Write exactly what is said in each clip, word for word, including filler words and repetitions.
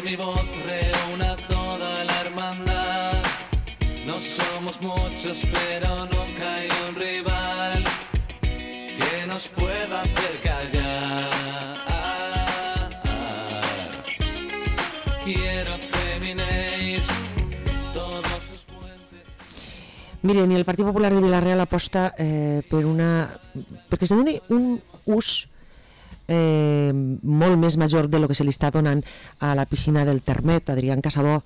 Mi voz reúna toda la hermandad. No somos muchos, pero nunca hay un rival que nos pueda hacer callar. Quiero que minéis todos sus puentes. Miren, i el Partit Popular de Vila-real aposta eh, per una... perquè es doni un ús eh, molt més major de lo que se li està donant a la piscina del Termet. Adrián Casabó,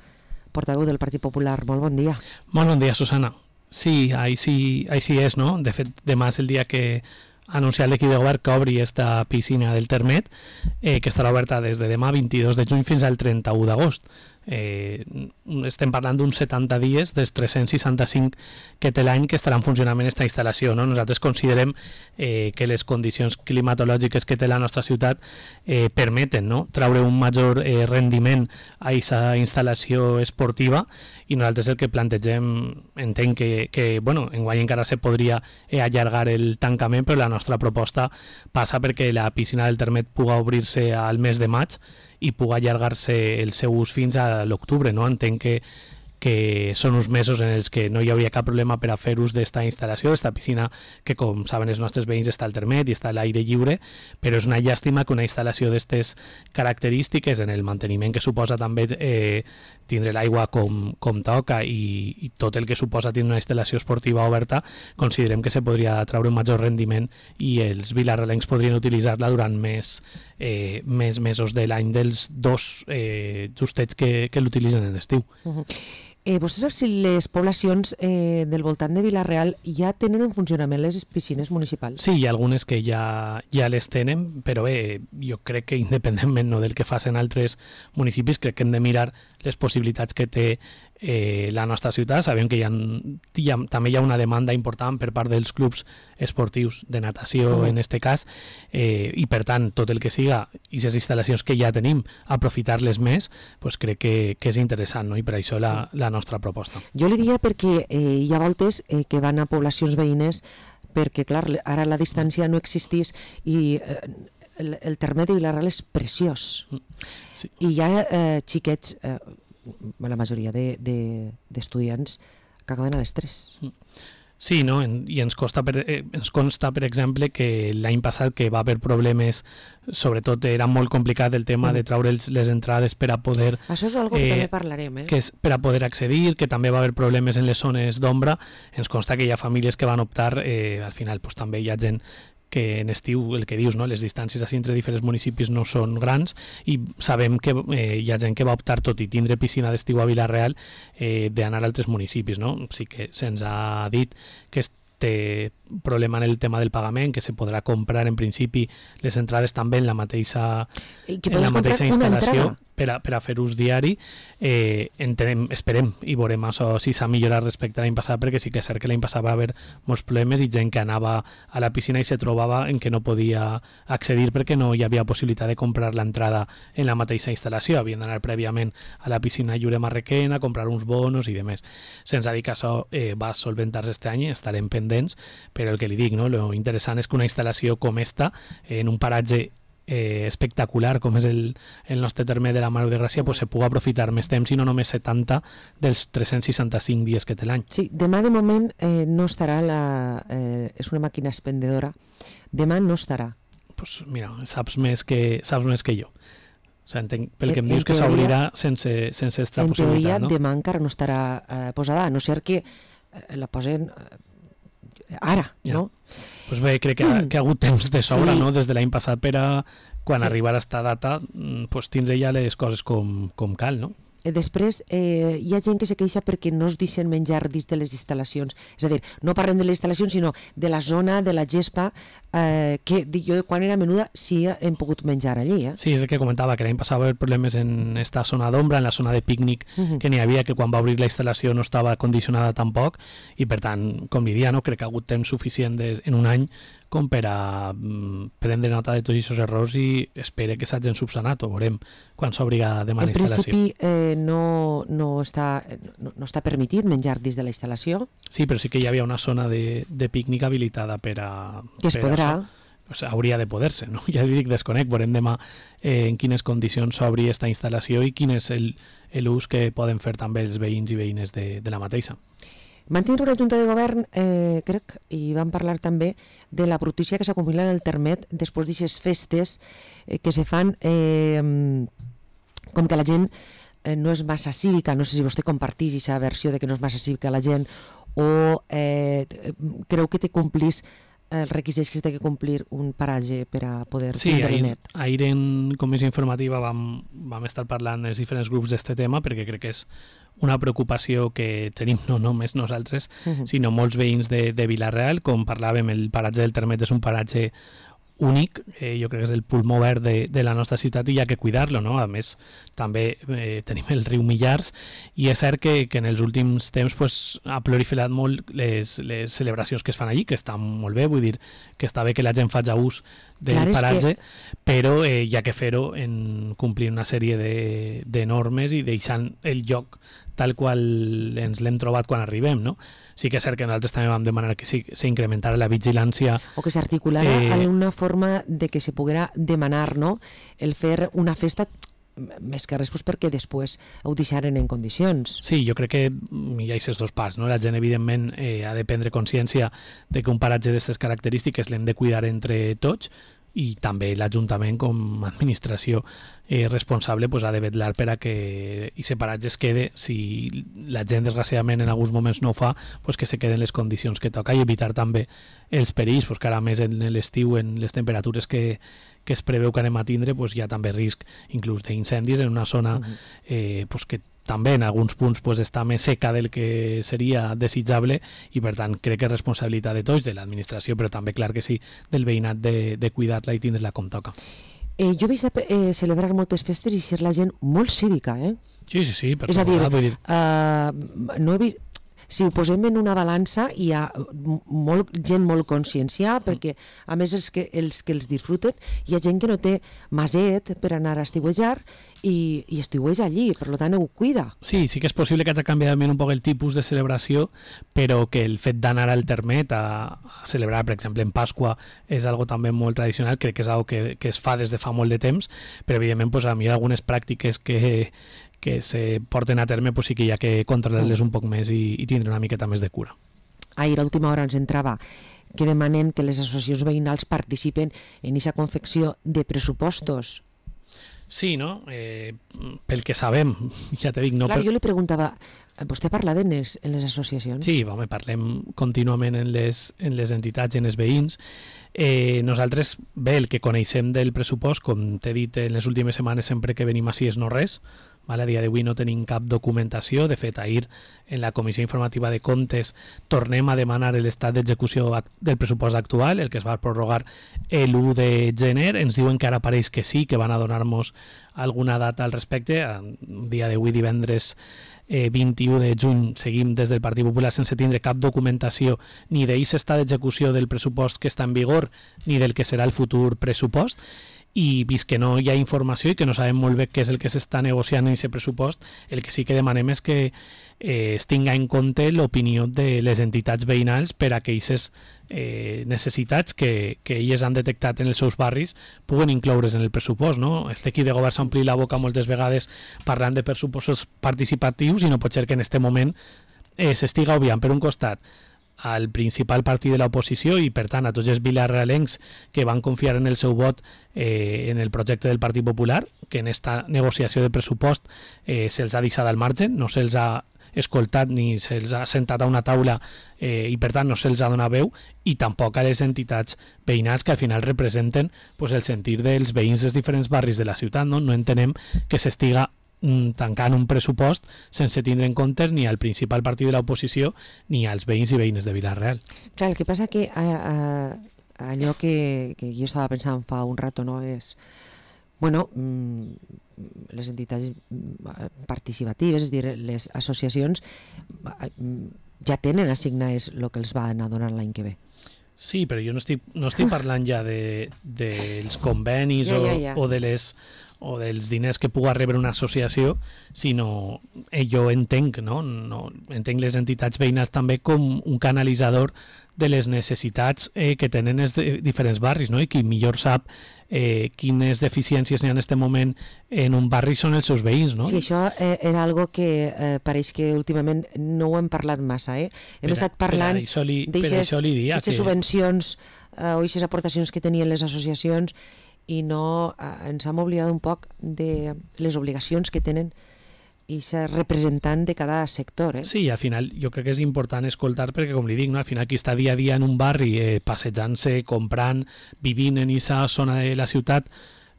portaveu del Partit Popular, molt bon dia. Molt bon dia, Susana. Sí, ahí sí, ahí sí és, no? De fet, demà és el dia que ha anunciat l'equip de govern que obri esta piscina del Termet, eh, que estarà oberta des de demà vint-i-dos de juny fins al trenta-u d'agost. Eh, estem parlant d'uns setanta dies dels tres-cents seixanta-cinc que té l'any que estarà en funcionament aquesta instal·lació, no? Nosaltres considerem eh, que les condicions climatològiques que té la nostra ciutat eh, permeten, no?, traure un major eh, rendiment a aquesta instal·lació esportiva, i nosaltres el que plantegem, entenc que, que bueno, enguany encara se podria eh, allargar el tancament, però la nostra proposta passa perquè la piscina del Termet puga obrir-se al mes de maig i puga allargar-se el seu ús fins a l'octubre, no? Entenc que, que són uns mesos en els que no hi hauria cap problema per a fer ús d'esta instal·lació, d'esta piscina que, com saben els nostres veïns, està al Termet i està a l'aire lliure, però és una llàstima que una instal·lació d'aquestes característiques, en el manteniment que suposa també eh, tindre l'aigua com, com toca i, i tot el que suposa tindre una instal·lació esportiva oberta, considerem que se podria treure un major rendiment i els vilarrealencs podrien utilitzar-la durant més, eh, més mesos de l'any dels dos eh, justets que, que l'utilitzen en l'estiu. Uh-huh. Eh, vostè sap si les poblacions eh, del voltant de Vila-real ja tenen en funcionament les piscines municipals? Sí, hi ha algunes que ja, ja les tenen, però bé, jo crec que independentment, no, del que facin altres municipis, crec que hem de mirar les possibilitats que té eh, la nostra ciutat. Sabem que hi ha, hi ha, també hi ha una demanda important per part dels clubs esportius de natació, uh-huh. en este cas, eh, i per tant tot el que siga i les instal·lacions que ja tenim, aprofitar-les més, pues crec que, que és interessant, no? I per això la, la nostra proposta. Jo li diria perquè eh, hi ha voltes eh, que van a poblacions veïnes perquè, clar, ara la distància no existís i eh, el, el Termet de Vila-real és preciós. Sí. I hi ha eh, xiquets, eh, la majoria de, de, d'estudiants que acaben a les tres. Sí, no? En, i ens, costa per, eh, ens consta, per exemple, que l'any passat que va haver problemes, sobretot era molt complicat el tema mm. de treure els, les entrades per a poder... Això és una cosa eh, que també parlarem, eh? Que és per a poder accedir, que també va haver problemes en les zones d'ombra. Ens consta que hi ha famílies que van optar, eh, al final pues, també hi ha gent que en estiu, el que dius, no? Les distàncies així entre diferents municipis no són grans i sabem que eh, hi ha gent que va optar, tot i tindre piscina d'estiu a Vila-real, eh, d'anar a altres municipis, no? Sí que se'ns ha dit que té problema en el tema del pagament, que se podrà comprar en principi les entrades també en la mateixa, en la mateixa instal·lació per a, per a fer ús diari. Eh, entenem, esperem i veurem això si s'ha millorat respecte a l'any passat, perquè sí que és cert que l'any passat va haver molts problemes i gent que anava a la piscina i se trobava en que no podia accedir perquè no hi havia possibilitat de comprar l'entrada en la mateixa instal·lació, havien d'anar prèviament a la piscina Lliure Marrequena a comprar uns bonos i demés. Se'ns ha dit que això eh, va solventar-se este any, estarem pendents, però el que li dic, no? Lo interessant és que una instal·lació com esta, en un paratge eh, espectacular com és el, el nostre Termet de la Mare de Gràcia, pues, se pugui aprofitar més temps i no només setanta dels tres-cents seixanta-cinc dies que té l'any. Sí, demà de moment eh, no estarà, la, eh, és una màquina expendedora, demà no estarà. Pues mira, saps més que, saps més que jo. O sigui, entenc, pel que em dius que s'obrirà sense, sense esta en possibilitat, teoria, no? demà encara no estarà eh, posada, a no ser que eh, la posen eh, ara, ja. No? Pues bé, crec que ha, que ha hagut temps de sobra, sí. No? Des de l'any passat per a quan sí. arribar a esta data, pues, tindre ja les coses com, com cal, no? Després, eh, hi ha gent que se queixa perquè no es deixen menjar dins de les instal·lacions. És a dir, no parlem de les instal·lacions, sinó de la zona de la gespa, eh, que jo quan era menuda sí hem pogut menjar allí. Eh? Sí, és el que comentava, que l'any passat va haver problemes en esta zona d'ombra, en la zona de pícnic, uh-huh. que n'hi havia, que quan va obrir la instal·lació no estava condicionada tampoc, i per tant, com li dia, no? Crec que ha hagut temps suficient des, en un any com per a mm, prendre nota de tots aquests errors i espere que s'hagin subsanat, ho veurem quan s'obriga demà la instal·lació. En principi eh, no, no, està, no, no està permitit menjar dins de la instal·lació? Sí, però sí que hi havia una zona de, de pícnic habilitada per a... Que es per podrà... A, pues, hauria de poder-se, no? Ja dic, desconec, veurem demà eh, en quines condicions s'obri aquesta instal·lació i quin és l'ús que poden fer també els veïns i veïnes de, de la mateixa. Van tindre una junta de govern, eh, crec, i van parlar també de la brutícia que s'acumula en el Termet després d'aquestes festes eh, que se fan eh, com que la gent eh, no és massa cívica, no sé si vostè compartís aquesta versió de que no és massa cívica la gent o eh, creu que te complís els requisits que té que complir un paratge per a poder sí, tindre ahir, net. Ahir en comissió informativa vam, vam estar parlant els diferents grups d'aquest tema perquè crec que és una preocupació que tenim no només nosaltres, uh-huh. sinó molts veïns de, de Vila-real. Com parlàvem, el paratge del Termet és un paratge únic, eh, jo crec que és el pulmó verd de, de la nostra ciutat i hi ha que cuidar-lo, no? A més, també eh, tenim el riu Millars i és cert que, que en els últims temps pues, ha proliferat molt les, les celebracions que es fan allí, que estan molt bé, vull dir que està bé que la gent faci ús del Clar, paratge, que... però eh, hi ha que fer-ho en complir una sèrie de, de normes i deixant el lloc tal qual ens l'hem trobat quan arribem, no? Sí que és cert que nosaltres també vam demanar que s'incrementara la vigilància. O que s'articulara eh... alguna forma de que se poguera demanar, no?, el fer una festa més que res pues, perquè després ho deixaren en condicions. Sí, jo crec que hi ha aquests dos parts, no? La gent evidentment eh, ha de prendre consciència de que un paratge d'aquestes característiques l'hem de cuidar entre tots i també l'Ajuntament com a administració eh, responsable pues, ha de vetllar per a que aquest paratge es quede, si la gent desgraciadament en alguns moments no ho fa, pues, que se queden les condicions que toca i evitar també els perills, pues, que ara més en l'estiu, en les temperatures que, que es preveu que anem a tindre, pues, hi ha també risc inclús d'incendis en una zona eh, pues, que també en alguns punts pues, està més seca del que seria desitjable i per tant crec que és responsabilitat de tots, de l'administració, però també clar que sí, del veïnat de, de cuidar-la i tindre-la com toca. Eh, jo he vist eh, celebrar moltes festes i ser la gent molt cívica, eh? Sí, sí, sí, per és a dir, vull dir... Uh, no he vist... Si ho posem en una balança, hi ha molt, gent molt conscienciada, perquè a més els que, els que els disfruten, hi ha gent que no té maset per anar a estiuejar i, i estiueja allí, per tant ho cuida. Sí, sí que és possible que hagi canviat un poc el tipus de celebració, però que el fet d'anar al Termet a, a celebrar, per exemple, en Pasqua és algo també molt tradicional, crec que és algo que, que es fa des de fa molt de temps, però evidentment pues, a mi hi ha algunes pràctiques que que se porten a terme, pues sí que hi ha que controlar-les un poc més i, i tindre una miqueta més de cura. Ahir a última hora ens entrava que demanen que les associacions veïnals participen en aquesta confecció de pressupostos. Sí, no? Eh, pel que sabem, ja te dic... No Clar, per... jo li preguntava, vostè parla en les, en les associacions? Sí, home, parlem contínuament en les, en les entitats i en els veïns. Eh, nosaltres, bé, el que coneixem del pressupost, com t'he dit en les últimes setmanes, sempre que venim així és no res. Vale, a dia d'avui no tenim cap documentació. De fet, ahir en la Comissió Informativa de Comptes tornem a demanar l'estat d'execució del pressupost actual, el que es va prorrogar l'u de gener. Ens diuen que ara pareix que sí, que van a donar-nos alguna data al respecte. A dia d'avui, divendres eh, vint-i-u de juny, seguim des del Partit Popular sense tindre cap documentació ni d'aquest estat d'execució del pressupost que està en vigor ni del que serà el futur pressupost. I vist que no hi ha informació i que no sabem molt bé què és el que s'està negociant en aquest pressupost, el que sí que demanem és que eh, es tinga en compte l'opinió de les entitats veïnals per a que aquestes eh, necessitats que, que elles han detectat en els seus barris puguen incloure's en el pressupost. No? Este equip de govern s'ha omplit la boca moltes vegades parlant de pressupostos participatius i no pot ser que en aquest moment eh, s'estiga obviant per un costat al principal partit de l'oposició i per tant a tots els vilarealencs que van confiar en el seu vot eh, en el projecte del Partit Popular, que en esta negociació de pressupost eh, se'ls ha deixat al marge, no se'ls ha escoltat ni se'ls ha sentat a una taula eh, i per tant no se'ls ha donat veu, i tampoc a les entitats veïnals que al final representen pues, el sentir dels veïns dels diferents barris de la ciutat. No, no entenem que s'estiga tancant un pressupost sense tindre en compte ni al principal partit de l'oposició ni als veïns i veïnes de Vila-real. Clar, el que passa que a, a, allò que, que jo estava pensant fa un rato, no, és bueno, les entitats participatives, és dir, les associacions ja tenen assignats el que els van a donar l'any que ve. Sí, però jo no estic, no estic parlant ja de, dels convenis ja, ja, ja. O, o de les o dels diners que puga rebre una associació, sinó eh, jo entenc, no? No, entenc les entitats veïnals també com un canalitzador de les necessitats eh, que tenen els de diferents barris, no? I qui millor sap eh, quines deficiències n'hi ha en aquest moment en un barri són els seus veïns, no? Sí, això eh, era algo que eh, pareix que últimament no ho hem parlat massa, eh? Hem per, estat parlant d'aixes que... subvencions eh, o aquestes aportacions que tenien les associacions i no eh, ens hem oblidat un poc de les obligacions que tenen i ser representant de cada sector. Eh? Sí, al final jo crec que és important escoltar perquè, com li dic, no? Al final qui està dia a dia en un barri eh, passejant-se, comprant, vivint en aquesta zona de la ciutat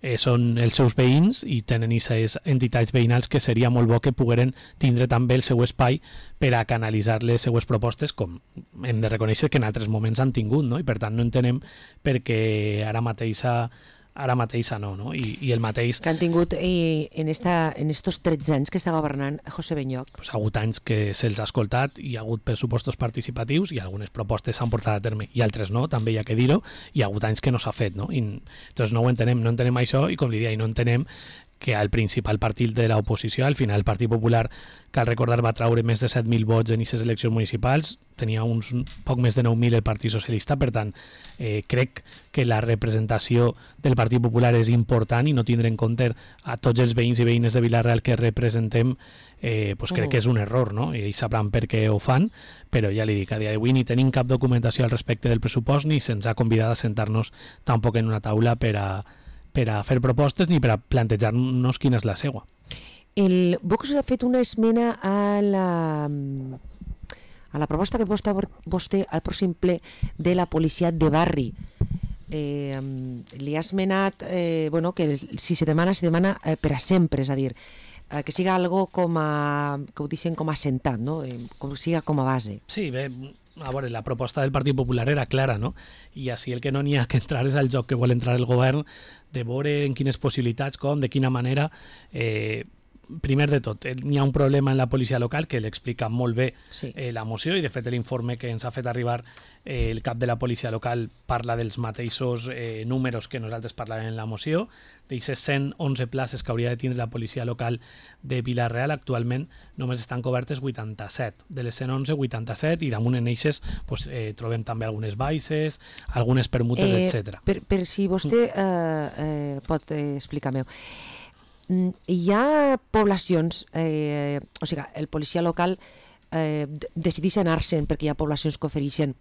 eh, són els seus veïns i tenen aquestes entitats veïnals que seria molt bo que pogueren tindre també el seu espai per a canalitzar les seues propostes, com hem de reconèixer que en altres moments han tingut, no? I per tant no entenem perquè ara mateixa ara mateixa no, no? I, i el mateix... Que han tingut i, en, esta, en estos tretze anys que està governant José Benyoch. Pues ha hagut anys que se'ls ha escoltat, hi ha hagut pressupostos participatius i algunes propostes s'han portat a terme i altres no, també hi ha que dir-ho, i hi ha hagut anys que no s'ha fet, no? I, doncs no ho entenem, no entenem això i com li deia, no entenem que el principal partit de l'oposició, al final el Partit Popular, cal recordar, va traure més de set mil vots en aquestes eleccions municipals, tenia uns poc més de nou mil el Partit Socialista, per tant, eh, crec que la representació del Partit Popular és important i no tindre en compte a tots els veïns i veïnes de Vila-real que representem, eh, pues crec mm. que és un error, no? I ells sabran per què ho fan, però ja li dic, a dia d'avui ni tenim cap documentació al respecte del pressupost ni se'ns ha convidat a sentar-nos tampoc en una taula per a per a fer propostes ni per a plantejar-nos quina és la seua. El Vox ha fet una esmena a la, a la proposta que vostè, vostè al pròxim ple de la policia de barri. Eh, li ha esmenat eh, bueno, que si se demana, se demana eh, per a sempre, és a dir, eh, que siga algo com a, que ho deixen com a assentat, no? eh, com siga com a base. Sí, bé, a veure, la proposta del Partit Popular era clara, no? I així el que no n'hi ha que entrar és al joc que vol entrar el govern de veure en quines possibilitats, com, de quina manera. Eh, primer de tot, n'hi ha un problema en la policia local que l'explica molt bé sí. eh, la moció i de fet l'informe que ens ha fet arribar eh, el cap de la policia local parla dels mateixos eh, números que nosaltres parlàvem en la moció, d'aquestes cent onze places que hauria de tindre la policia local de Vila-real, actualment només estan cobertes vuitanta-set, de les cent onze, vuitanta-set, i damunt en eixes pues, eh, trobem també algunes baixes, algunes permutes, eh, etcètera. Per, per si vostè eh, eh, pot eh, explicar-me, hi ha poblacions, eh, o sigui, el policia local eh, decideix anar-se'n perquè hi ha poblacions que ofereixen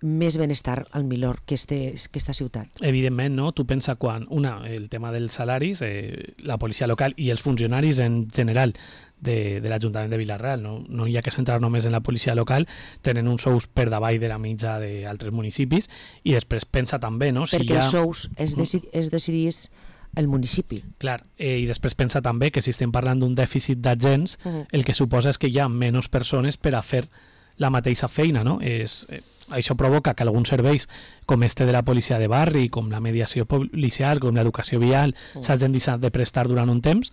més benestar al millor que, este, que esta ciutat. Evidentment, no? Tu pensa quan, una, el tema dels salaris, eh, la policia local i els funcionaris en general de, de l'Ajuntament de Vila-real, no, no hi ha que centrar només en la policia local, tenen uns sous per davall de la mitja d'altres municipis, i després pensa també, no? Si perquè ha... els sous es, decid, es decidís el municipi. Clar, eh, i després pensa també que si estem parlant d'un dèficit d'agents, uh -huh. el que suposa és que hi ha menys persones per a fer la mateixa feina, no? És, eh, això provoca que alguns serveis com este de la policia de barri, com la mediació policial, com l'educació vial, uh -huh. s'hagin deixat de prestar durant un temps,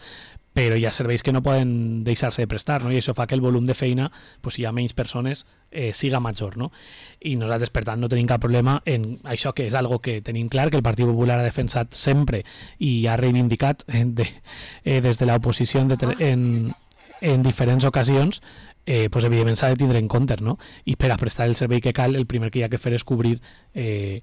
però hi ha serveis que no poden deixar-se de prestar, no? I això fa que el volum de feina, pues, si hi ha menys persones, eh, siga major, no? I nosaltres, per tant, no tenim cap problema en això, que és algo que tenim clar, que el Partit Popular ha defensat sempre i ha reivindicat eh, de, eh, des de l'oposició en, en, en diferents ocasions, eh, pues, evidentment s'ha de tindre en compte, no? I per a prestar el servei que cal, el primer que hi ha que fer és cobrir eh,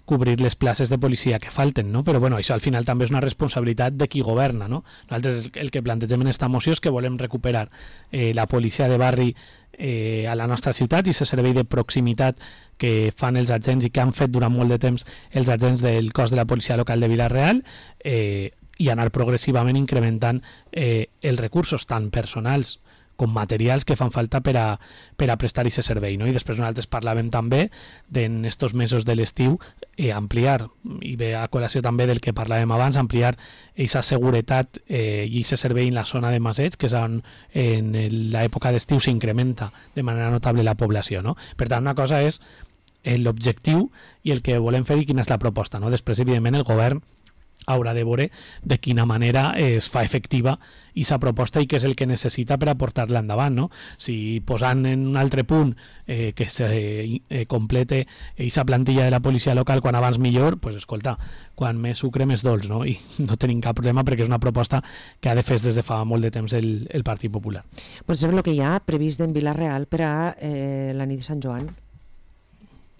cobrir les places de policia que falten, no? Però bueno, això al final també és una responsabilitat de qui governa, no? Nosaltres el que plantegem en esta moció és que volem recuperar eh, la policia de barri eh, a la nostra ciutat i aquest servei de proximitat que fan els agents i que han fet durant molt de temps els agents del cos de la policia local de Vila-real, eh, i anar progressivament incrementant eh, els recursos tant personals com materials que fan falta per a, per a prestar aquest servei, no? I després nosaltres parlàvem també d'en estos mesos de l'estiu eh, ampliar, i ve a col·lació també del que parlàvem abans, ampliar aquesta seguretat eh, i aquest servei en la zona de Masets, que és on en l'època d'estiu s'incrementa de manera notable la població, no? Per tant, una cosa és l'objectiu i el que volem fer i quina és la proposta, no? Després, evidentment, el govern haurà de veure de quina manera es fa efectiva aquesta proposta i què és el que necessita per a portar-la endavant, no? Si posant en un altre punt eh, que se eh, complete aquesta plantilla de la policia local quan abans millor, pues escolta, quan més sucre més dolç, no? I no tenim cap problema perquè és una proposta que ha de fer des de fa molt de temps el, el Partit Popular. Pues és el que hi ha previst en Vila-real per a eh, la nit de Sant Joan.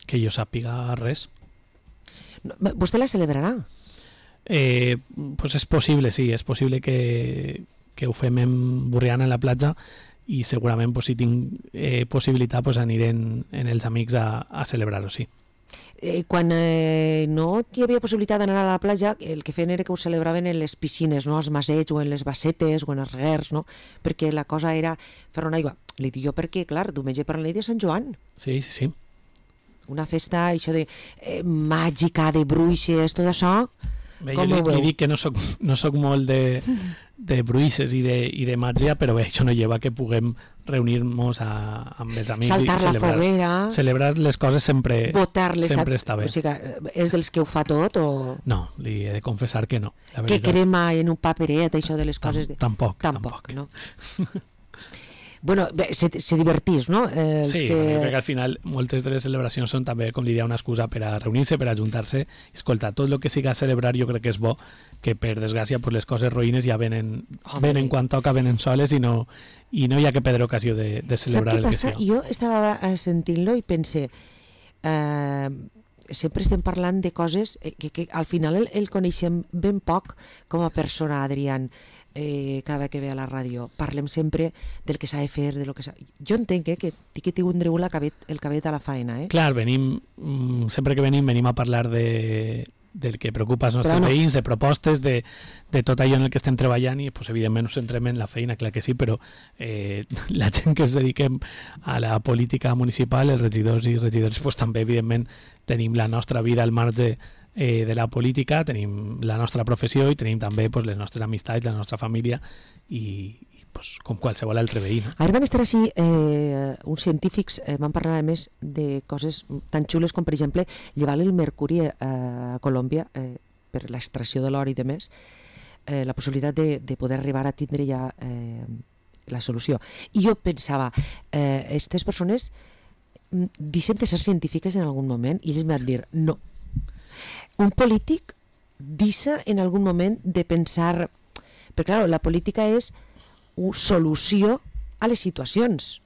Que jo sàpiga res. No, vostè la celebrarà? Eh, pues és possible, sí, és possible que, que ho fem en Borriana, en la platja, i segurament pues, si tinc eh, possibilitat pues, aniré en, en els amics a, a celebrar-ho, sí. Eh, quan eh, no hi havia possibilitat d'anar a la platja, el que feien era que ho celebraven en les piscines, no? Als masets o en les bassetes o en els reguers, no? Perquè la cosa era fer una aigua. Li dic jo perquè, clar, diumenge per la nit de Sant Joan. Sí, sí, sí. Una festa, això de eh, màgica, de bruixes, tot això... Bé, jo li, li dic que no soc, no soc molt de, de bruixes i de, i de màgia, però bé, això no lleva que puguem reunir-nos amb els amics saltar i celebrar, la foguera, celebrar les coses sempre, sempre a... està bé. O sigui, és dels que ho fa tot o... No, li he de confessar que no. Que crema en un paperet, això de les Tam, coses... De... Tampoc, tampoc. tampoc. No? Bueno, bé, se, se divertís, no? Eh, els sí, que... jo crec que al final moltes de les celebracions són també, com li deia, una excusa per a reunir-se, per a juntar-se. Escolta, tot el que siga a celebrar jo crec que és bo, que per desgràcia pues, les coses roïnes ja venen, venen quan toca, venen soles i no, i no hi ha que perdre ocasió de, de celebrar el que passa? sigui. Jo estava sentint-lo i pense... Eh, sempre estem parlant de coses que, que al final el, el coneixem ben poc com a persona, Adrián. Eh, cada vegada que ve a la ràdio parlem sempre del que s'ha de fer, de lo que s'ha... Jo entenc eh, que que tindreu la cabet, el cabet a la faena. Eh? Clar, venim, sempre que venim, venim a parlar de, del que preocupa els nostres no. veïns, de propostes, de, de tot allò en el que estem treballant i pues, evidentment us centrem en la feina, clar que sí, però eh, la gent que es dediquem a la política municipal, els regidors i regidors, pues, també evidentment tenim la nostra vida al marge Eh, de la política, tenim la nostra professió i tenim també pues, les nostres amistats, la nostra família i, i pues, com qualsevol altre veí. No? Ara van estar així eh, uns científics, eh, van parlar a més de coses tan xules com per exemple llevar el mercuri eh, a Colòmbia eh, per l'extracció de l'or i de més, eh, la possibilitat de, de poder arribar a tindre ja eh, la solució. I jo pensava, eh, aquestes persones deixen de ser científiques en algun moment i ells m'han de dir no. Un polític deixa en algun moment de pensar, perquè clar, la política és una solució a les situacions,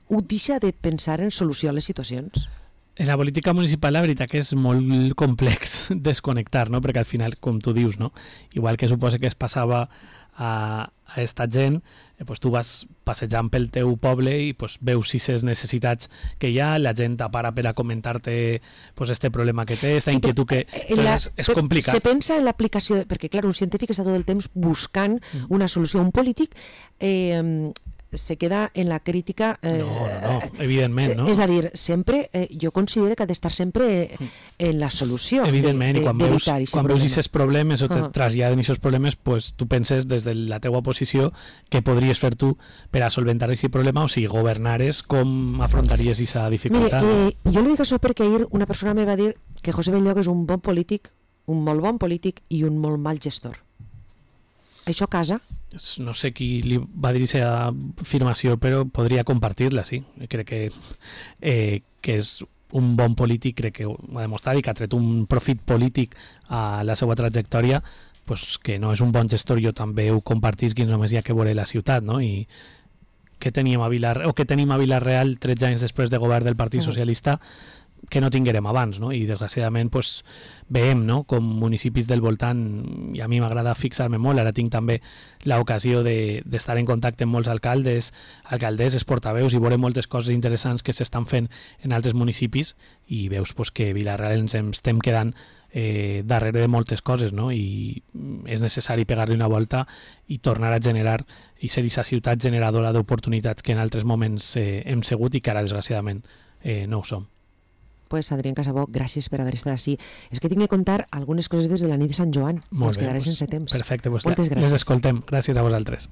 ho deixa de pensar en solució a les situacions. En la política municipal la veritat que és molt complex desconnectar, no? Perquè al final, com tu dius, no? Igual que suposa que es passava a, a esta gent, eh, pues tu vas passejant pel teu poble i pues, veus aquestes necessitats que hi ha, la gent t'apara per a comentar-te pues, este problema que té, esta sí, inquietud que... La, és, és complicat. Se pensa en l'aplicació, perquè clar, un científic està tot el temps buscant mm. una solució. Un polític eh, se queda en la crítica... Eh, no, no, no, evidentment, no? És a dir, sempre, eh, jo considero que ha d'estar sempre eh, en la solució. Evidentment, de, i quan de, veus aquests problemes o te uh -huh. traslladen aquests problemes, pues, tu penses des de la teua posició què podries fer tu per a solventar aquest problema, o si governares, com afrontaries aquesta dificultat? Mire, eh, jo li dic això perquè ahir una persona me va dir que José Belloc és un bon polític, un molt bon polític i un molt mal gestor. Això casa? No sé qui li va dir aquesta afirmació, però podria compartir-la, sí. Crec que, eh, que és un bon polític, crec que ho ha demostrat i que ha tret un profit polític a la seva trajectòria, pues que no és un bon gestor, jo també ho compartisc i només hi ha que veure la ciutat, no? I què teníem a Vilar, o què tenim a Vila-real tretze anys després de govern del Partit Socialista que no tinguérem abans, no? I desgraciadament pues, veiem, no? Com municipis del voltant, i a mi m'agrada fixar-me molt, ara tinc també l'ocasió d'estar de, en contacte amb molts alcaldes, alcaldesses, portaveus, i veure moltes coses interessants que s'estan fent en altres municipis, i veus pues, que Vila-real ens estem quedant eh, darrere de moltes coses, no? I és necessari pegar-li una volta i tornar a generar i ser aquesta ciutat generadora d'oportunitats que en altres moments eh, hem sigut i que ara desgraciadament eh, no ho som. Pues Adrián Casabó, gràcies per haver estat així. És que tinc que contar algunes coses des de la nit de Sant Joan. Molt ens bé, quedaré pues, sense temps. Perfecte, pues moltes gràcies. Les escoltem. Gràcies a vosaltres.